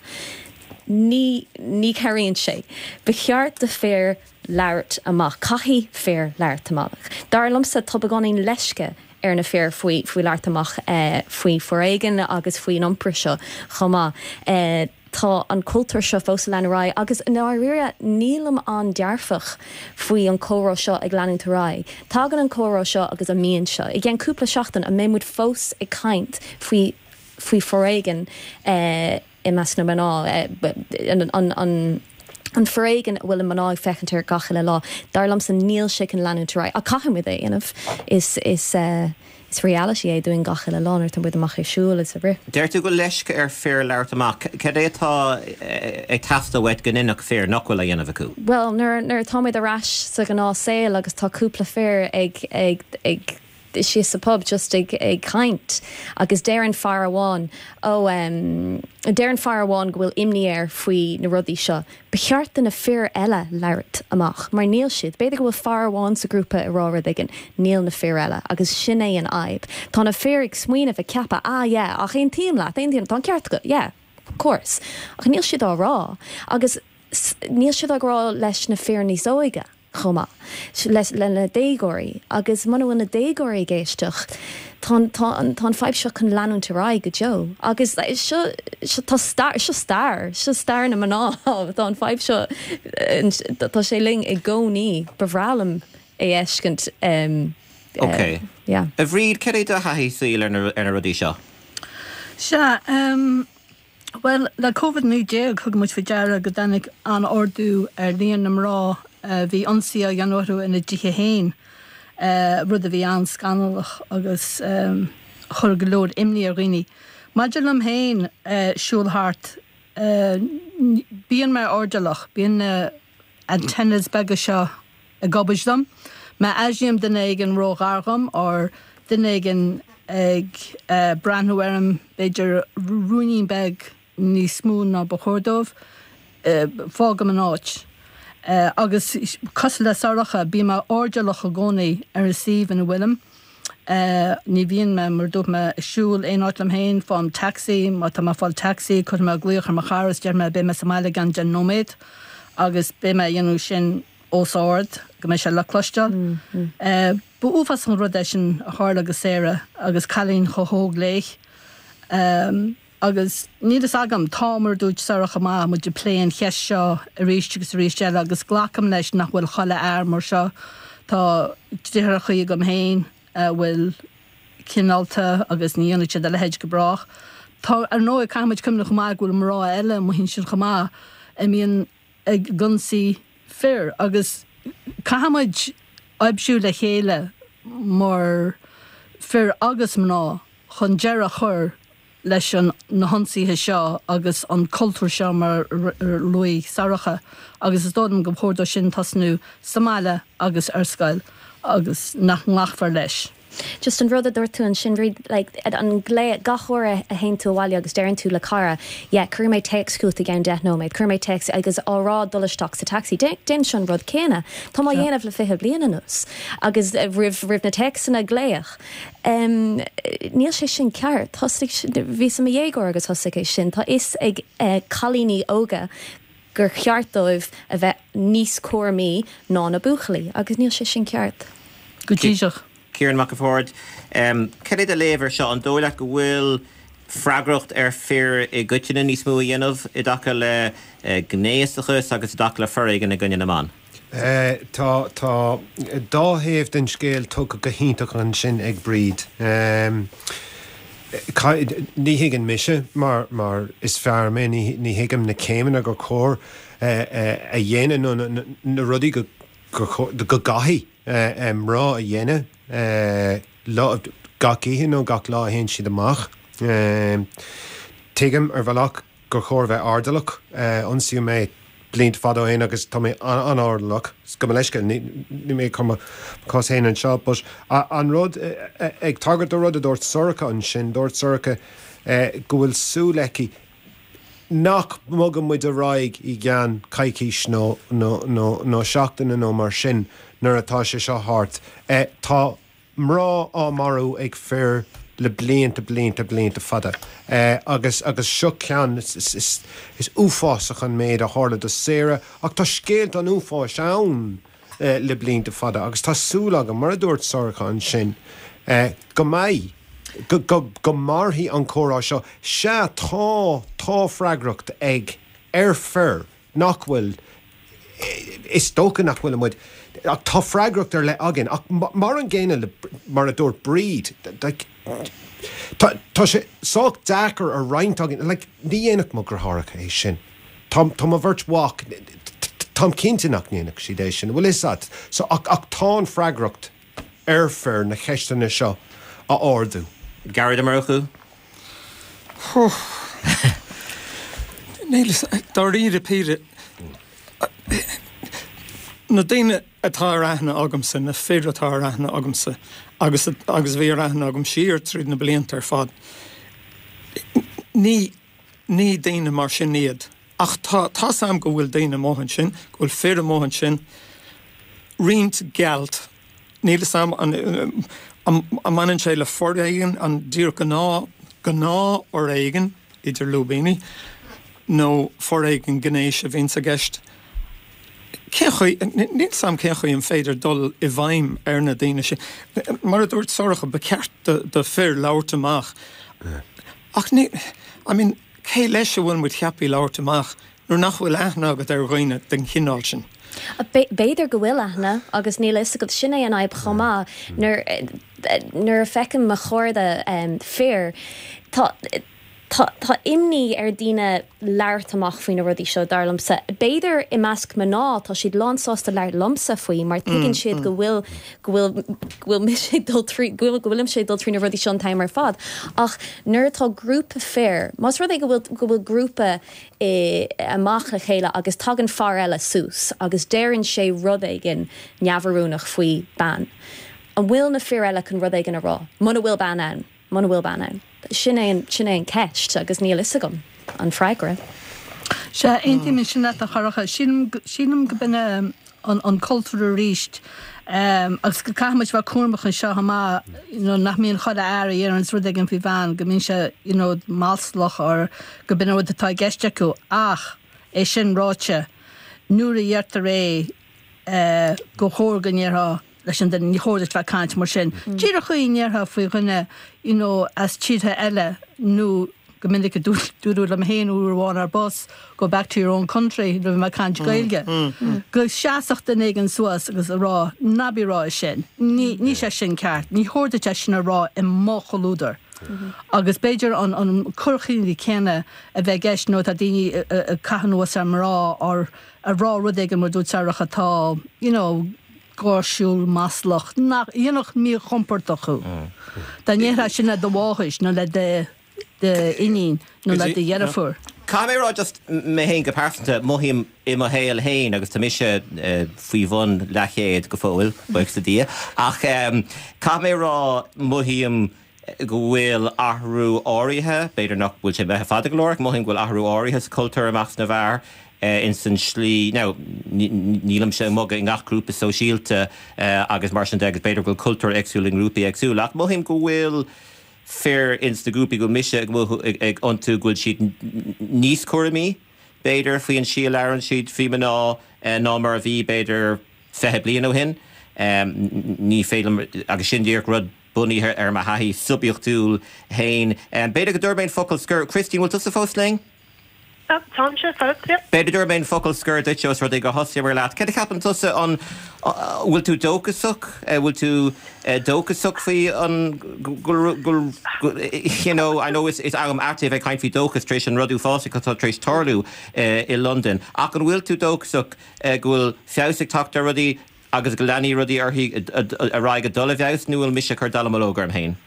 ní ní chabhraíonn sé. Ba cheart do fir labhairt amach caithfidh fir labhairt amach. Dar liomsa tá beagáinín leisce ar na fir faoi faoi labhairt amach eh, faoi foréigean agus faoin iompar seo chomh maith. Eh, tá an cultúr seo fós ag leanúint ar aghaidh agus dáiríre nílim an-dearfach faoi an comhrá seo ag leanúint ar aghaidh. Tagann an comhrá seo agus an mian seo. I gceann cúpla seachtain an mbeidh muid fós ag caint faoi faoi foréigean eh, i measc na mná eh, an, an, an, an foréigean a bhfuil mná ag féachaint air gach uile lá. Dar liomsa níl sé chun leanúint ar aghaidh. A caithfimid é dhéanamh is is uh, Is reality é dúinn gach uile lá nuair atá muid amach ag siúl is ag rith. Deir tú go bhfuil leisce ar fir labhairt amach. Cad é atá ag teastáil uait go ndéanfadh fir nach bhfuil á dhéanamh acu? Bhuel, nuair nuair atá muid ar ais sa ghnáthshaol agus tá cúpla fir ag ag ag síos sa pub just ag ag caint agus deir an fear amháin ó um, deir an fear amháin go bhfuil imní air faoi na rudaí seo. Ba cheart do na fir eile labhairt amach, mar níl siad, b'fhéidir go bhfuil fear amháin sa grúpa ag rá rud éigin, níl na fir eile, agus sin é an fhadhb. Tá na fir ag smaoineamh ag ceapadh ah yeah, ach aontaím leat, aontaím, tá an ceart agat, yeah, of course. Ach níl siad á rá, agus níl siad á rá leis na fir níos óige. chomh maith le le na déagóirí agus muna bhfuil na déagóirí ag éisteacht tá tá tá an fadhb seo chun leanúint ar aghaidh go deo agus seo seo tá stair seo stair seo stair na mná tá an fadhb seo tá sé linn i gcónaí ba bhreá liom é fheiscint um, Ok. Uh, yeah. A Bhríd cad é do thaithí saoil ar na ar na rudaí seo? Sea, um, Well, le Covid naoi déag thug muid faoi deara go dtáinig an-ardú ar líon na mná a bhí ionsaí á dhéanamh orthu ina dtithe féin, rud a bhí an-scannalach agus chuir go leor imní ar dhaoine. Maidir liom féin, siúl thart, bíonn mé airdeallach, bíonn na antennas beaga seo ag obair dom. Má airím duine éigin ró-ghar dhom or duine éigin ag breathnú orm b'fhéidir ruainnín beag níos mó ná ba chóir dóibh, fágaim an áit. Agus cosúil le Sorcha, bím airdeallach i gcónaí ar an suíomh ina bhfuilim. Ní bhíonn mé, mar a dúirt mé, ag siúl aon áit liom féin, faighim taxi, má tá mé ag fáil taxi, cuirfidh mé glaoch ar mo chara is déarfaidh mé beidh mé sa mbaile i gceann deich nóiméad agus beidh mé a dhéanamh sin os ard go mbeidh sé le cloisteáil. Ba uafásach an rud é sin a tharla do Sarah agus cailín chomh hóg léi. Agus níl fhios agam, tá, mar a dúirt Sorcha chomh maith, muid ag plé an cheist seo arís agus arís eile agus glacaim leis nach bhfuil chuile fhear mar seo. Tá deartháireacha agam féin a bhfuil cineálta agus ní dhéanfaidh siad a leithéid go brách. Tá, ar ndóigh, caithfidh muid cuimhneamh chomh maith go bhfuil mná eile amuigh ansin chomh maith a mbíonn ag ionsaí fir agus caithfidh muid oibriú le chéile mar fir agus mná chun deireadh a chur leis an na hionsaithe seo agus an cultúr seo mar a luaigh Sorcha agus is dóigh liom gur chóir dó sin tosnú sa mbaile agus ar scoil agus nach nglacfar leis. Just an rud a dúirt tú ansin, Bríd, like, an glao, gach uair a théann tú abhaile agus deireann tú le cara, yeah, cuirfidh mé téacs chugat i gceann deich nóiméad, cuirfidh mé téacs agus á rá dul isteach sa taxi. Déanaimse an rud céanna. Tá mé á dhéanamh le fiche bliain anuas. Agus roimh, roimh na téacsanna glaoch. Um, níl sé sin ceart. Thosaigh, bhíos i mo dhéagóir agus thosaigh é sin. Tá fhios ag eh, cailíní óga gur cheart dóibh a bheith níos cúramaí ná na buachaillí, agus níl sé sin ceart. Go díreach. Ciarán Mac an Bhaird, Cad é do léamh air seo? An dóigh leat go bhfuil freagracht ar fir i gcoitinne níos mó a dhéanamh i dtaca le gnéasachas agus i dtaca le foréigean i gcoinne na mban? Tá tá dá thaobh den scéal tugtha go hiontach ansin ag Bríd. Ní thuigeann mise, mar mar is fear mé, ní ní thuigim na céimeanna gur chóir a dhéanamh nó na rudaí go go gcaithfidh mná a dhéanamh lá gach oíche nó gach lá a théann siad amach. Tuigim ar bhealach gur chóir bheith airdeallach. Ionsaíodh mé blianta fada ó shin agus tá mé an-airdeallach. Gabh mo leithscéal, níl mé ag cur mo chás féin anseo, but an rud, ag tagairt do rud a dúirt Sorcha ansin, dúirt Sorcha go bhfuil súil aici nach mbogann muid ar aghaidh i gceann coicís nó nó seachtaine nó mar sin nuair atá sé seo thart. Tá mná á marú ag fir le blianta, blianta, blianta fada. Agus agus seo ceann, is is uafásach an méid a tharla do Sarah ach tá scéalta an uafáis ann le blianta fada agus tá súil agam, mar a dúirt Sorcha ansin, go mbeidh, go go go mairfidh an comhrá seo. Sea, tá, tá freagracht ag, ar fir nach bhfuil, is dócha nach bhfuil muid, ach tá freagracht ar leith againn. Ach mar an gcéanna le, mar a dúirt Bríd, like, tá, tá sé sách deacair a roinnt againn, like, ní dhéanfadh mo dheartháireacha é sin. Tá, tá mo bheirt mhac, táim cinnte nach ndéanfadh siad é sin, bhfuil fhios agat. So, ach, ach tá an freagracht ar fir na ceisteanna seo a a ardú. Gearóid Ó Murchú? Níl, dáiríre píre, na daoine atá ar aithne agamsa, na fir atá ar aithne agamsa, agus agus a bhí ar aithne agam siar tríd na blianta ar fad, ní ní daoine mar sin iad. Ach tá tá's a'm go bhfuil daoine amuigh ansin, go bhfuil fir amuigh ansin, roinnt gealt, níl 'fhios a'm an an mbaineann sé le foréigean, an díreach gnáth gnáthfhoréigean idir lúibíní, nó foréigean gnéis a bhíonns i gceist. Cén chaoi, níl 'fhios a'm cén chaoi an féidir dul i bhfeidhm ar na daoine sin. Mar a dúirt Sorcha, ba cheart do do fir labhairt amach. Ach ní, I mean, cé leis a bhfuil muid ceaptha labhairt amach nuair nach bhfuil aithne agat ar dhaoine den chineál sin? B'fhéidir go bhfuil aithne agus níl a fhios agat, sin é an fhadhb chomh maith. Nuair nuair a feicim mo chairde fir, tá tá tá imní ar daoine labhairt amach faoi na rudaí seo, dar liomsa. B'fhéidir i measc mná tá siad lán sásta labhairt liomsa faoi mar tuigeann siad go bhfuil go bhfuil go bhfuil mise ag dul trí go bhfuil go bhfuilimse ag dul trí na rudaí seo an t-am ar fad. Ach nuair atá grúpa fir, más rud é go bhfuil go bhfuil grúpa i amach le chéile agus tagann fear eile suas agus deireann sé rud éigin neamhoiriúnach faoi bean, an bhfuil na fir eile chun rud éigin a rá? Muna bhfuil bean ann, muna bhfuil bean ann. Sin é an, sin é an ceist agus níl fhios agam an freagra. Sea, aontaím ansin leat a Shorcha. Sílim, sílim go b'in é an, an cultúr arís agus go caithfidh muid bheith cúramach anseo chomh maith, you know, nach mbíonn chuile fhear a dheireanns rud éigin faoi bhean, go mbíonn sé, you know, maslach or go b'in an rud atá i gceist acu. Ach, é sin ráite, nuair a dheirtear é, eh, gur chóir go ndéarfá leis an duine, ní chóir duit bheith ag caint mar sin. Díreach chaoi a ndéarfá faoi dhuine, you know, as tíortha eile nó go minic a dúradh liom féin uair amháin ar bus, go back to your own country nuair a bhí mé ag caint Gaeilge. Go seasfadh duine éigin suas agus a rá, ná bí ag rá é sin, ní, ní sé sin ceart, ní chóir duit é sin a rá i mo chomhluadar. Agus b'fhéidir an, an cur chuige céanna a bheith i gceist nuair atá daoine ag caitheamh anuas ar mná or a rá rud éigin mar dúirt Sorcha atá, you know, gáirsiúil, maslach, nach dhéanfadh míchompordach thú. Dá ndéarfá sin le do mháthair nó le d'iníon nó le do dheirfiúr. Caithfidh mé a rá just mé féin go pearsanta, mothaím i mo shaol féin agus tá mise faoi bhun leathchéad go fóill, buíochas le Dia, ach caithfidh mé a rá mothaím go bhfuil athrú áirithe, b'fhéidir nach bhfuil sé imithe fada go leor, ach mothaím go bhfuil athrú áirithe sa chultúr i measc na bhfear ins an slí, now nílimse ag bogadh i ngach grúpa sóisialta agus mar sin de agus b'fhéidir go bhfuil cultúr éagsúil i ngrúpaí éagsúla ach mothaím go bhfuil fir ins na grúpaí go bhfuil mise ag mothú ag iontu go bhfuil siad níos cúramaí b'fhéidir faoi an slí a labhrann siad faoi mná ná mar a bhí b'fhéidir fiche bliain ó shin. Ní féidir liom, agus sin díreach rud bunaithe ar mo thaithí suibiachtúil féin. B'fhéidir go dtabharfaidh mé an focal scoir. Christine, bhfuil tusa fós linn? Táimse fós, yeah. B'fhéidir go dtabharfaidh mé an focal scoir duit os rud é gur thosaíomar leat. Céard a cheapann tusa? An bhfuil tú dóchasach? Bhfuil tú dóchasach faoi an go go you know, I know is is am ait é bheith ag caint faoi dóchas tar éis an rud uafásach atá tar éis tarlú i Londain. Ach an bhfuil tú dóchasach go bhfuil feabhas ag teacht ar rudaí agus go leanfaidh rudaí orthu ar aghaidh ag dul i bhfeabhas nó bhfuil mise ag cur dallamullóg orm féin?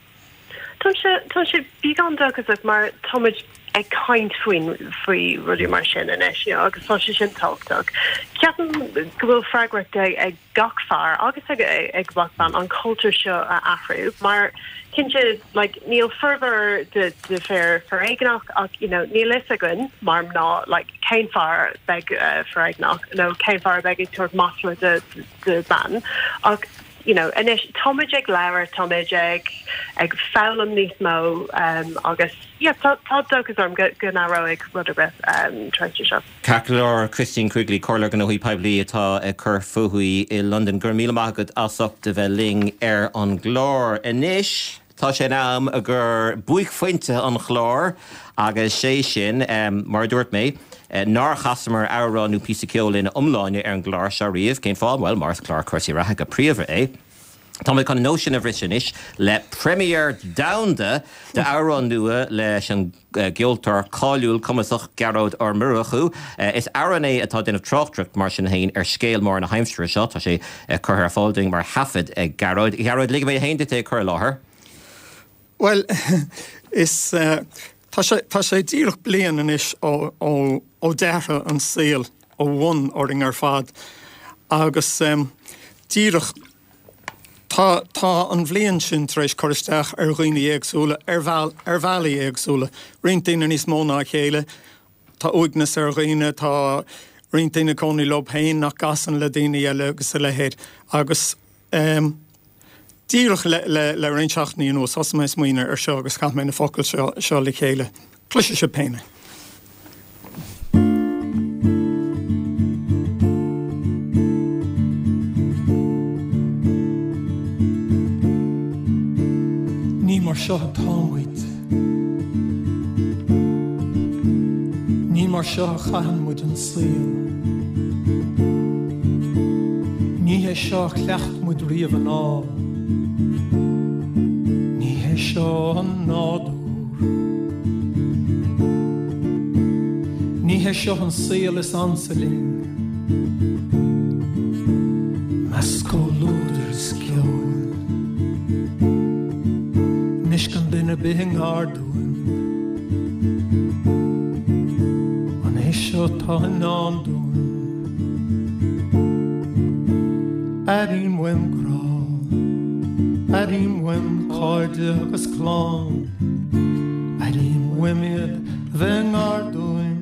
Táimse táimse beagán dóchasach mar táimid ag caint faoin faoi rudaí mar sin anois you know agus tá sé sin tábhachtach. Ceapaim go bhfuil freagracht ag ag gach fear agus ag ag gach bean an cultúr seo a athrú mar cinnte like níl formhór de de fir foréigneach ach you know níl fhios againn mar mná like cén fear a bheidh uh, foréigneach nó cén fear a bheidh ag tabhairt masla de de bean ach you know anois táimid ag labhairt táimid ag ag foghlaim níos mó um, agus yeah, tá tá dóchas orm go go n-athróidh rud ar bith um, tar éis seo. Ceart go leor Christine Quigley, Comhairleoir Gnóthaí Poiblí atá ag cur fúithi i Londain. Go raibh míle maith agat as ucht a bheith linn ar an gclár. Anois tá sé in am gur buaicphointe an chláir agus sé sin, mar a dúirt mé, nár chasamar amhrán nó píosa ceoil ina iomláine ar an gclár seo riamh. Cén fáth? Bhuel, mar is clár cúrsaí reatha go príomha é. Tá mé chun an nós sin a bhriseadh anois le premiere domhanda d'amhrán nua leis an gceoltóir cáiliúil cumasach Gearóid Ó Murchú. Is amhrán é atá ag déanamh tráchtaireacht mar sin féin ar scéal mór na haimsire seo. Tá sé curtha ar fáil dúinn mar thaifead ag Gearóid. Gearóid, ligfidh mé féin duit é a chur i láthair. Bhuel, is tá sé tá sé díreach bliain anois ó ó ó d'athraigh an saol ó bhun orainn ar fad agus díreach tá tá an bhliain sin tar éis cur isteach ar dhaoine éagsúla ar bheal ar bhealaí éagsúla, roinnt daoine níos mó ná a chéile, tá uaigneas ar dhaoine, tá roinnt daoine ag cónaí leo féin nach gcasann le daoine eile agus a leithéid agus Díreach le roinnt seachtainí anuas, thosaigh mé ag smaoineamh ar seo agus chaith mé na focail seo le chéile. Cloisfidh sibh féin é. Ní mar seo atá muid. Ní mar seo a chaitheann muid an saol. Ní hé seo a chleacht muid riamh anall. Ní hé seo an nádúr. Ní hé seo an saol is ansa linn. Measc comhluadair is ceoil. Anois gan duine ar bith i ngar dúinn. An é seo atá i ndán dúinn? Airím uaim grá, airím uaim cairde agus clann, airím uaim iad a bheith i ngar dúinn,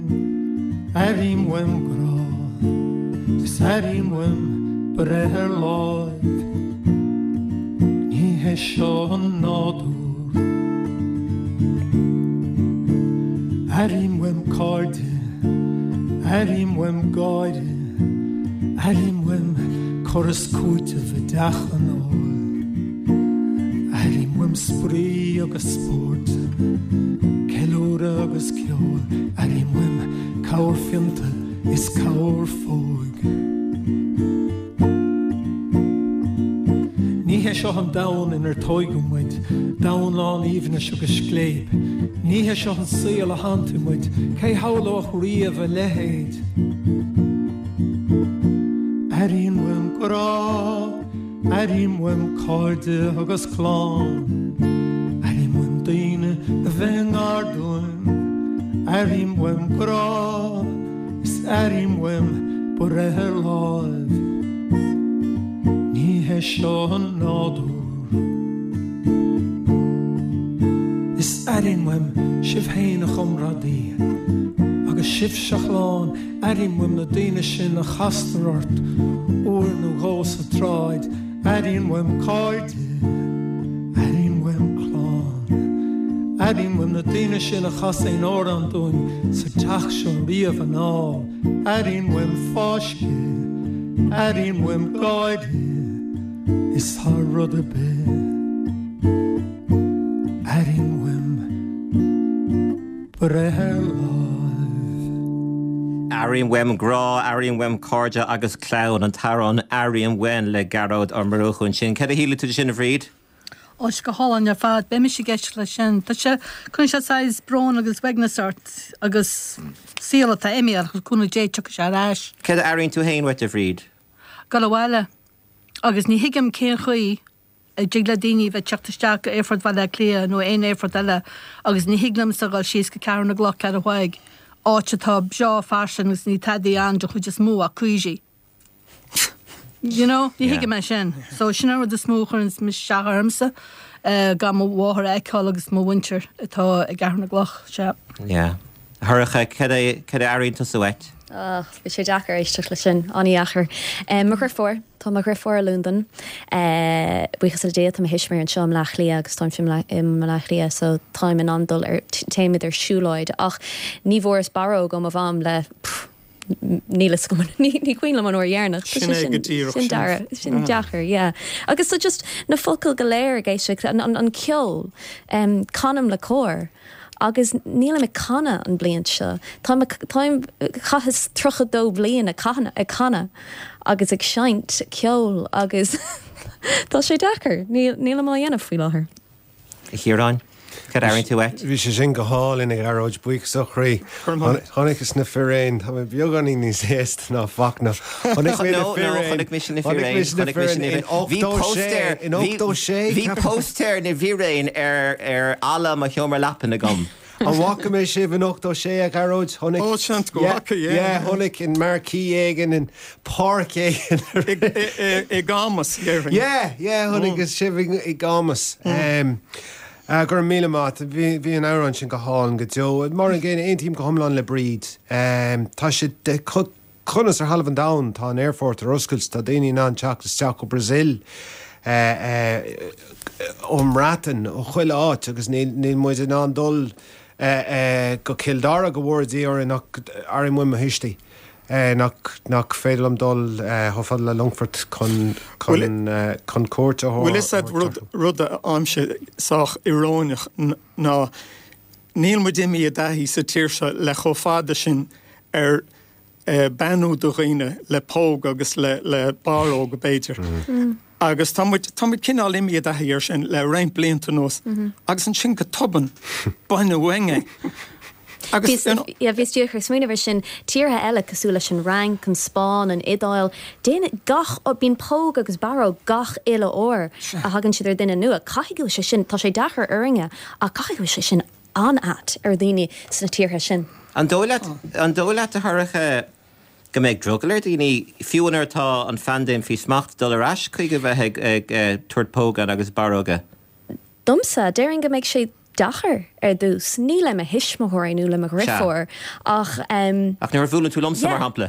airím uaim grá, is airím uaim breith ar láimh. Ní hé seo an nádúr. Airím uaim cairde, airím uaim gáire, airím uaim cur is cúiteamh i dteach an óil. Airím uaim spraoi agus spórt, ceiliúradh agus ceol, airím uaim corrphionta is corrphóg. Ní hé seo an domhan inar tógadh muid, domhan lán aoibhnis agus scléip. Ní hé seo an saol a shantaigh muid, cé shamhlódh riamh a leithéid? Airím uaim grá, airím uaim cairde agus clann, airím uaim daoine a bheith i ngar dúinn, airím uaim grá, is airím uaim breith ar láimh. Ní hé seo an nádúr. Is airím uaim sibh féin a chomrádaí, agus sibhse a chlann, airím uaim na daoine sin a chastar ort uair nó dhó sa tsráid, airím uaim cairde, airím uaim clann, airím uaim na daoine sin a chas aon amhrán dúinn sa teach seo riamh anall, airím uaim fáisceadh, airím uaim gáire, is thar rud ar bith, airím uaim breith ar láimh. Airím uaim grá, airím uaim cairde agus clann, an t-amhrán Airím Uaim le Gearóid Ó Murchú ansin. Cad a shíleann tú de sin, a Bhríd? Ó, go hálainn ar fad, beidh mise ag éisteacht leis sin. Tá sé, cuireann sé saghas brón agus uaigneas ort agus saol atá imithe ach le cúnamh Dé tiocfaidh sé ar ais. Cad a airíonn tú féin uait, a Bhríd? Dul abhaile. Agus ní thuigim cén chaoi a dtig le daoine bheith teacht isteach go Aerfort Bhaile Átha Cliath nó aon aerfort eile agus ní thig liomsa dhul síos go Ceathrú na gCloch Ceathrú Thaidhg, áit atá breá fairsing agus níl tada ann den chuid is mó ach cuisí. You know, ní thuigim é sin. So sin an rud is mó a chuireann isteach ormsa, gan mo mháthair a fheiceáil agus mo mhuintir atá i gCeathrú na gCloch, sea. Yeah. A Shorcha, cad é, cad a airíonn tusa uait? Ach, bhí sé deacair éisteacht leis sin, an-dheacair. Mo dheirfiúr, tá mo dheirfiúr i Londain. Buíochas le Dia tá mo thuismitheoirí anseo i mBleá Cliath agus táimse i mBleá Cliath so táim in ann dul ar, téimid ar siúlóid ach ní bhfuaireas barróg ó mo mham le pff, níl fhios agam, ní cuimhin liom an uair dheireanach. Sin é go díreach sin. Sin, sin deacair, yeah. Agus so just na focail go léir ag éisteacht, an, an, an ceol, um, canaim le cór. Agus nílim ag canadh an bliain seo. Táim, táim, chaitheas tríocha dó bliain ag canadh, ag canadh agus ag seinnt ceoil agus tá sé deacair. Níl, nílim á dhéanamh faoi láthair. A Chiaráin? Cad airíonn tú uait? Bhí sé sin go hálainn a Ghearóid, buíochas ó chroí. Chonaiceas na firéin, tá mé beagáinín níos aosta ná Fachtna. Chonaic mé na firéin. Chonaic mise na firéin. Chonaic mise na firéin in ochtó sé. In ochtó sé. Bhí póstaer na bhfiréin ar ar fhalla mo sheomra leapan agam. An bhfaca mé sibh in ochtó sé a Ghearóid? Chonaic. Ó, seans go bhfaca, yeah. Yeah, chonaic in marquee éigin, in páirc éigin. I gCamus, déarfainn. Yeah, yeah, chonaic sibh i gCamus. Go raibh míle maith. Bhí bhí an amhrán sin go hálainn go deo. Mar an gcéanna, aontaím go hiomlán le Bríd. Tá sé de conas ar thalamh an domhain, tá an aerfort ar oscailt, tá daoine in ann teacht isteach ó Brazil, ón mBreatain, ó chuile áit agus níl níl muid in ann dul go Cill Dara go bhfóire Dia orainn ach airím uaim mo thuistí. Nach nach féidir liom dul chomh fada le Longfort chun chun chun cuairt a Bhfuil fhios agat rud rud a fhaighimse sách íoróineach ná níl muid imithe i dtaithí sa tír seo le chomh fada sin ar beannú do dhaoine le póg agus le le barróg b'fhéidir. Agus tá muid tá muid cineál imithe i dtaithí ar sin le roinnt blianta anuas agus ansin go tobann baineadh uainn é. Agus you know. Yeah, bhíos díreach ag smaoineamh ar sin, tíortha eile cosúil leis an Fhrainc, an Spáinn, an Iodáil, déanann gach, bíonn póg agus barróg gach uile uair a thagann siad ar duine nua. Caithfidh go bhfuil sé sin, tá sé deacair orainne, ach caithfidh go bhfuil sé sin an-ait ar dhaoine sna tíortha sin. An dóigh leat, an dóigh leat a Shorcha, go mbeidh drogall ar dhaoine, fiú nuair atá an phaindéim faoi smacht, dul ar ais chuig a bheith ag, ag tabhairt póga agus barróga? Domsa, déarfainn go mbeidh sé deacair ar dtús. Ní le mo thuismitheoirí nó le mo dheirfiúr ach. Ach nuair a bhuaileann tú liomsa, mar shampla.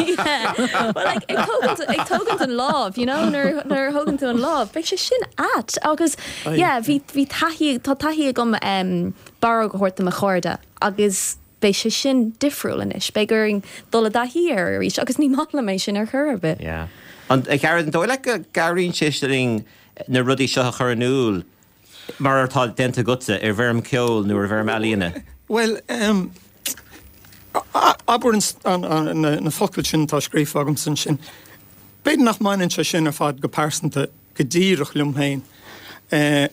Yeah. Well, like, ag tógaint, ag tógaint an lámh, you know, nuair, nuair a thógann tú an lámh, beidh sé sin ait agus, yeah, bhí, bhí taithí, tá taithí agam um, barróg a thabhairt do mo chairde agus beidh sé sin difriúil anois. Beidh orainn dul i dtaithí air arís agus ní maith liom é sin ar chor ar bith. Yeah. An, a Ghearóid, an dóigh leat go gcabhraíonn sé linn na rudaí seo a chur in iúl mar atá déanta agatsa i bhfoirm ceoil nó i bhfoirm ealaíne? Bhuel, um, abair an, an, na, na focail sin atá scríofa agamsa ansin. B'fhéidir nach mbaineann sé sin ar fad go pearsanta go díreach liom féin. Uh,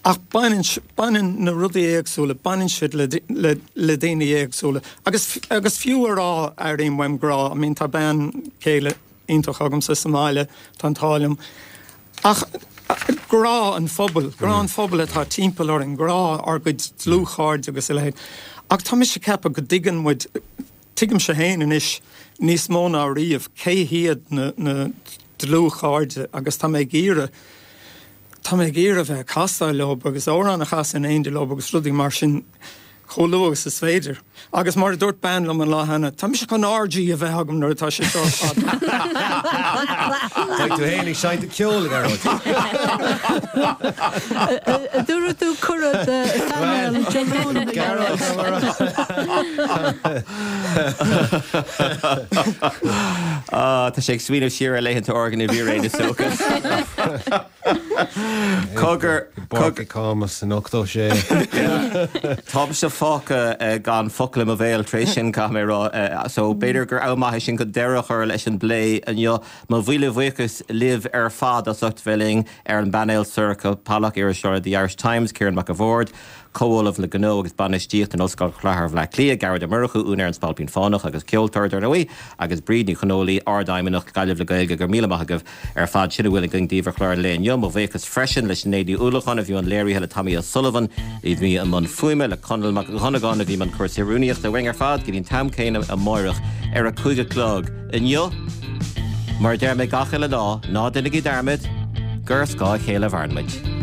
ach baineann, baineann na rudaí éagsúla, baineann siad le, le, le daoine éagsúla. Agus, agus fiú a rá airím uaim grá, I mean, tá bean chéile iontach agamsa sa mbaile, tá an t-ádh liom. Ach grá an phobail, grá an phobail atá timpeall orainn, grá ár gcuid dlúthchairde agus a leithéid. Ach tá mise ag ceapadh go dtuigeann muid, tuigimse féin anois níos mó ná riamh cé hiad na, na dlúthchairde agus tá mé ag iarraidh, tá mé ag iarraidh bheith ag casadh leo agus amhrán a chasadh in éindí leo agus rudaí mar sin chomh luath agus is féidir. Agus mar a dúirt bean liom an lá cheana, tá mise chun orgy a bheith agam nuair atá sé seo ar fad. Beidh tú féin ag seinnt ceoil, a Ghearóid. Dúirt tú cuireadh do phainéal Dé Luain, a Gearóid. Ah, tá sé ag smaoineamh siar ar laethanta órga na bhfíréan is dócha. Cogar, Páirc i Camus in ochtó sé. Táimse fágtha gan focal i mo bhéal tar éis sin, caithfidh mé a rá. So b'fhéidir gur am maith é sin chun deireadh a chur leis an bplé inniu. Mo mhíle bhuíochas libh ar fad as ucht bheith linn ar an bpainéal, Sorcha Pollak, iriseoir le The Irish Times, Ciarán Mac a' Bhaird, Comh-Ollamh le Gnó agus Bainistíocht in Ollscoil Chathair Bhaile Átha Cliath, Gearóid Ó Murchú, úinéir An Spailpín Fánach agus ceoltóir, dar ndóigh, agus Bríd Ní Chonghóile, Ardfheidhmeannach Gaillimh le Gaeilge. Go raibh míle maith agaibh ar fad. Sin a bhfuil againn daoibh ar chlár an lae inniu. Mo bhuíochas freisin le Sinéad Ní Uallacháin a bhí i mbun léirithe, le Tommy O'Sullivan a bhí i mbun fuaime, le Conall Mac Dhonnagáin a bhí i mbun cúrsaí rúnaíochta. Uainn ar fad go dtí an t-am céanna amáireach ar a cúig a chlog. Inniu, mar a deir mé gach uile lá, ná déanaigí dearmad gur ar scáth a chéile a mhaireann muid.